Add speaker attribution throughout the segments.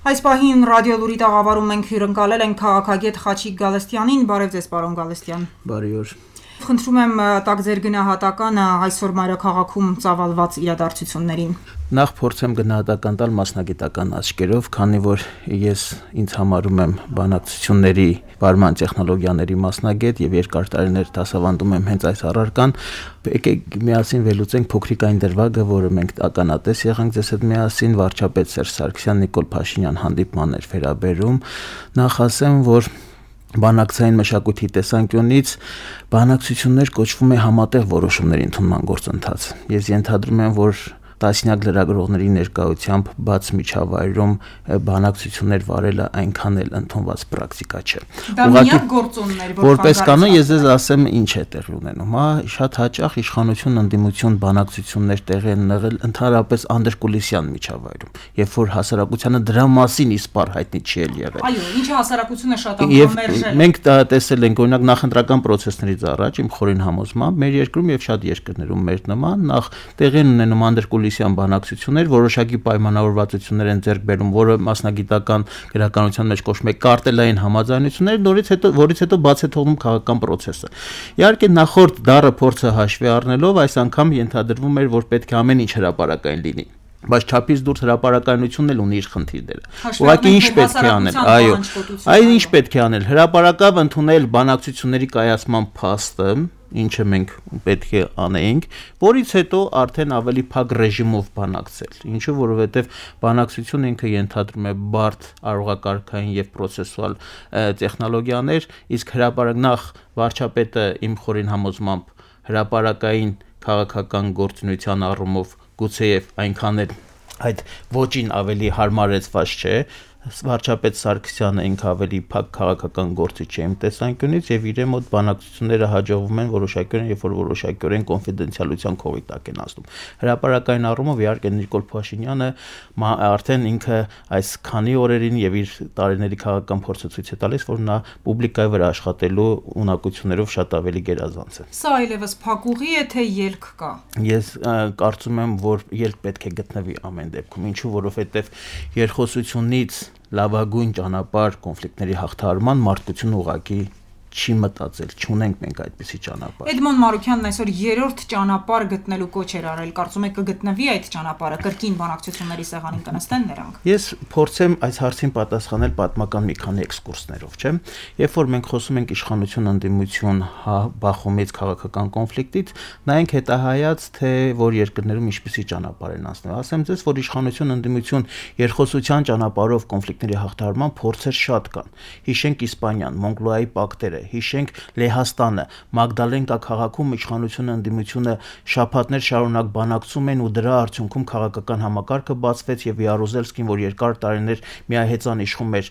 Speaker 1: Այս պահին ռադիոլուրի տաղավարում մենք հյուրընկալել ենք քաղաքագետ Խաչիկ Գալստյանին, բարև ձեզ պարոն Գալստյան։
Speaker 2: Բարի օր։
Speaker 1: Խնդրում եմ տակ ձեր գնահատականը այսօր մայրաքաղաքում ծավալված իրադարձություններին։
Speaker 2: Նախ փորձեմ գնահատական տալ մասնագիտական աչքերով, քանի որ ես ինձ համարում եմ բանակցությունների բարման տեխնոլոգիաների մասնագետ եւ երկար տարիներ դասավանդում եմ հենց այս առարկան, եկեք միասին վերլուծենք փոքրիկ այն դրվագը, որը մենք ականատես եղանք ձեզ հետ միասին, վարչապետ Սերժ Սարգսյան Նիկոլ Փաշինյան հանդիպման էր վերաբերում, նախ ասեմ, որ բանակցային մշակույթի տեսանկյունից բանակցություններ կոչվում է համատեղ որոշումների ընդունման գործընթաց։ Ես ենթադրում եմ, որ տասնյակ լրագրողների ներկայությամբ բաց միջավայրում բանակցություններ վարելը այնքան էլ ընդունված պրակտիկա չէ։
Speaker 1: Դա միակ գործոնն էր,
Speaker 2: որպես կանոն ես ձեզ ասեմ ինչ է տեղի ունենում, շատ հաճախ իշխանություն ընդդիմություն բանակցություններ տեղի են եղել ընդհանրապես անդրկուլիսյան միջավայրում, երբ որ հասարակությանը դրա մասին իսպառ հայտնի չի եղել։
Speaker 1: Այո, ինչը հասարակությունը շատ անգամ մերժել։
Speaker 2: Մենք տեսել ենք օրինակ նախընտրական պրոցեսներից առաջ իմ խորին համոզմամբ մեր երկրում եւ շատ երկրներում մեր նման նախ տեղի են ունենում անդրկուլիսյան բանակցություններ, որոշակի պայմանավորվածություններ են ձեռք բերում, որը մասնագիտական գրականության մեջ կոչվում է կարտելային համաձայնություններ, որից հետո բաց է թողնում քաղաքական պրոցեսը։ Իհարկե նախորդ դառը փորձը հաշվի առնելով այս անգամ ենթադրվում էր, որ պետք է ամեն ինչ հրապարակային լինի, բայց չափից դուրս հրապարակայնությունն էլ ունի իր խնդիրները։ Ուղղակի ինչ պետք է անել, այո, այն ինչ պետք է անել, հրապարակավ ընդունել բանակցությունների կայացման փաստը, ինչը մենք պետք է անեինք, որից հետո արդեն ավելի փակ ռեժիմով բանակցել, ինչու որովհետև բանակցությունը ինքը ենթադրում է բարդ արողակարգային եւ պրոցեսուալ տեխնոլոգիաներ, իսկ հրապարակ նախ վարչապետը իմ խորին համոզմամբ հրապարակային քաղաքական գործունեության առումով գուցեև այնքան էլ այդ ոճին ավելի հարմարեցված չէ, վարչապետ Սարգսյանը ինքը ավելի փակ քաղաքական գործիչ է իմ տեսանկյունից եւ իր մոտ բանակցությունները հաջողվում են որոշակիորեն, երբ որ որոշակիորեն կոնֆիդենցիալության քողի տակ են ասում։ Հրապարակային առումով իհարկե Նիկոլ Փաշինյանը արդեն ինքը այս քանի օրերին եւ իր տարիների քաղաքական փորձը ցույց է տալիս, որ նա պուբլիկայի վրա աշխատելու ունակություններով շատ ավելի գերազանց է։
Speaker 1: Սա այլևս փակուղի է, թե ելք կա։
Speaker 2: Ես կարծում եմ, որ ելք պետք է գտնվի ամեն դեպքում, ինչու որովհետեւ երկխոսությունից լավագույն ճանապարհ կոնֆլիկտների հաղթահարման մարդկությունը ուղղակի չի մտածել, չունենք մենք այդպիսի ճանապարհ։
Speaker 1: Էդմոն Մարուքյանն այսօր երրորդ ճանապարհ գտնելու կոչ էր արել, կարծում եք կգտնվի այդ ճանապարհը, կրկին բանակցությունների սեղանին կնստեն նրանք։
Speaker 2: Ես փորձեմ այս հարցին պատասխանել պատմական մի քանի էքսկուրսներով, չէ՞։ Երբ որ մենք խոսում ենք իշխանություն ընդդիմություն բախումից քաղաքական կոնֆլիկտից, նայենք հետահայաց, թե որ երկրներում ինչպիսի ճանապարհ են անցնել։ Ասեմ ձեզ, որ իշխանություն ընդդիմություն երկխոսության ճանապարհով կոնֆլիկտների հաղթահարման փորձեր շատ կան։ Հիշենք Իսպանիան, Մոնգոլիայի պակտերը, հիշենք Լեհաստանը, Մագդալենկա քաղաքում իշխանությունը ընդդիմությունը շաբաթներ շարունակ բանակցում են ու դրա արդյունքում քաղաքական համակարգը բացվեց եւ Յարուզելսկին, որ երկար տարիներ միահեծան իշխում էր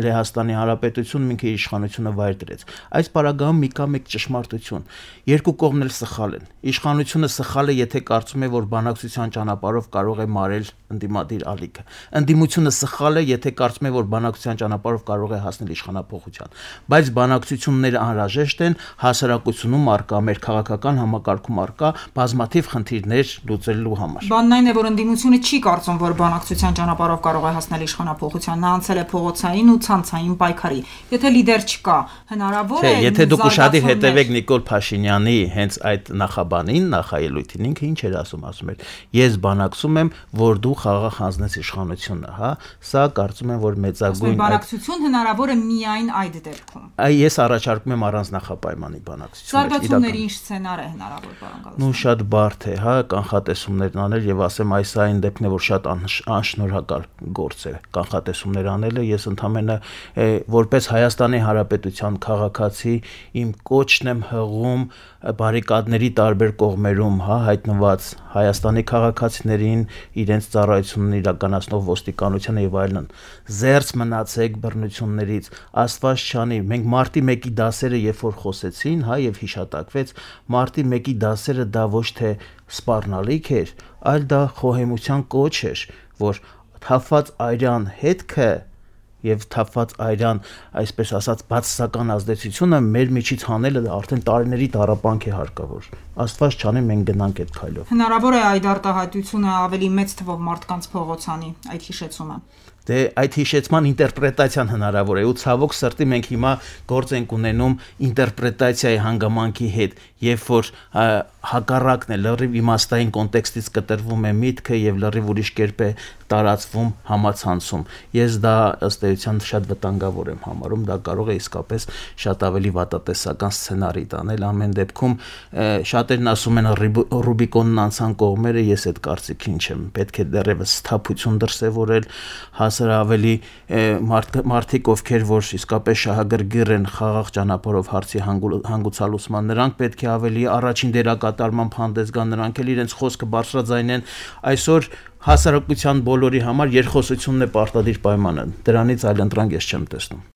Speaker 2: Լեհաստանի Հանրապետությունում, ինքը իշխանությունը վայր դրեց։ Այս պարագայում մի կա մեկ ճշմարտություն. երկու կողմն էլ սխալ են։ Իշխանությունը սխալ է, եթե կարծում է, որ բանակցության ճանապարհով կարող է մարել ընդդիմադիր ալիքը։ Ընդդիմությունը սխալ է, եթե կարծում է, որ բանակցության ճանապարհով կարող է հասնել իշխանափոխության։ Բայց բանակցությունները անհրաժեշտ են հասարակությունում արկա, մեր քաղաքական համակարգում արկա բազմաթիվ խնդիրներ լուծելու համար։
Speaker 1: Բանն այն է, որ ընդդիմությունը չի կարծում, որ բանակցության ճանապարհով կարող է հասնել իշխանափոխության, նա անցել է փողոցային ու ցանցային պայքարի։ Եթե լիդեր չկա, հնարավոր է։
Speaker 2: Եթե դուք ուշադիր հետևեք Նիկոլ Փաշինյանի հենց այդ նախաբանին, նախաելույթին, ինքը ինչ էր ասում էր. ես բանակցում եմ, որ դու խաղաղ հանձնես իշխանությունը, հա, սա կարծում եմ, որ մեծագույն
Speaker 1: բանակցություն հնարավոր է միայն այդ դեպքում։
Speaker 2: Ես առաջարկում եմ առանց նախապայմանի բանակցություններ։
Speaker 1: Զարգացումների ինչ սցենար է հնարավոր, պարոն Գալստյան։
Speaker 2: Նու շատ բարդ է, հա, կանխատեսումներն անել եւ ասեմ այս այն դեպքն է, որ շատ անշնորհակալ գործ է կանխատեսումներ անելը։ Ես ընդհանրապես որպես Հայաստանի Հանրապետության քաղաքացի իմ կոչն եմ հղում բարիկադների տարբեր կողմերում, հա, հայտնված Հայաստանի քաղաքացիներին, իրենց ծառայությունն իրականացնող ոստիկանությանը եւ այլն։ Զերծ մնացեք բռնություններից, Աստված չանի, մենք մարտի 1-ի դասերը երբ որ խոսեցին, հա, եւ հիշատակվեց, մարտի 1-ի դասերը դա ոչ թե սպառնալիք էր, այլ դա խոհեմության կոչ էր, որ թափված այրան հետքը եւ թափված այրան, այսպես ասած, բացասական ազդեցությունը մեր միջից հանելը արդեն տարիների տառապանք է հարկավոր։ Աստված չանի, մենք գնանք այդ քայլով։
Speaker 1: Հնարավոր է այդ արտահայտությունը ավելի մեծ թվով մարդկանց փողոցանի, այդ հիշեցումը։
Speaker 2: Դե այդ հիշեցման ինտերպրետացիան հնարավոր է ու ցավոք սրտի մենք հիմա գործ ենք ունենում ինտերպրետացիայի հանգամանքի հետ, երբ որ հակառակն է լրիվ իմաստային կոնտեքստից կտրվում է միտքը եւ լրիվ ուրիշ կերպ է տարածվում համացանցում։ Ես դա ըստ էության շատ վտանգավոր եմ համարում, դա կարող է իսկապես շատ ավելի վատատեսական սցենարի տանել։ Ամեն դեպքում շատերն ասում են Ռուբիկոնն անցան կողմերը, ես այդ կարծիքին չեմ։ Պետք է դեռևս սթափություն դրսևորել, հասար ավելի մարդիկ, ովքեր որ իսկապես շահագրգիռ են խաղաղ ճանապարհով հարցի հանգուցալուծման, նրանք պետք է ավելի առաջին դերակատարմամբ հանդես գան, նրանք էլ իրենց խոսքը բարձրաձայնեն։ Այսօր հասարակության բոլորի համար երկխոսությունն է պարտադիր պայմանը, դրանից այլ ընտրանք ես չեմ տեսնում։